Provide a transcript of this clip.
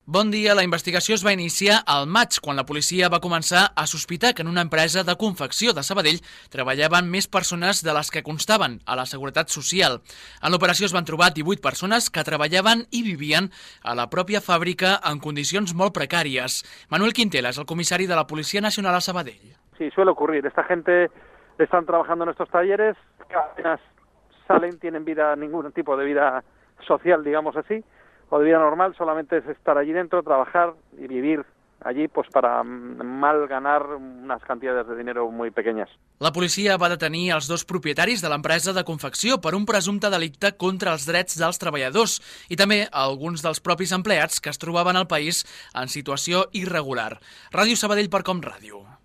Bon dia. La investigació es va iniciar al maig, quan la policia va començar a sospitar que en una empresa de confecció de Sabadell treballaven més persones de les que constaven a la Seguretat Social. En l'operació es van trobar 18 persones que treballaven i vivien a la pròpia fàbrica en condicions molt precàries. Manuel Quintela és el comissari de la Policia Nacional a Sabadell. Sí, suele ocurrir. Esta gente están trabajando en estos talleres, que apenas salen, tienen vida, ningún tipo de vida social, digamos así, o de vida normal, solamente es estar allí dentro, trabajar y vivir allí pues para mal ganar unas cantidades de dinero muy pequeñas. La policia va detenir els dos propietaris de l'empresa de confecció per un presumpte delicte contra els drets dels treballadors i també alguns dels propis empleats que es trobaven al país en situació irregular. Ràdio Sabadell per Com Ràdio.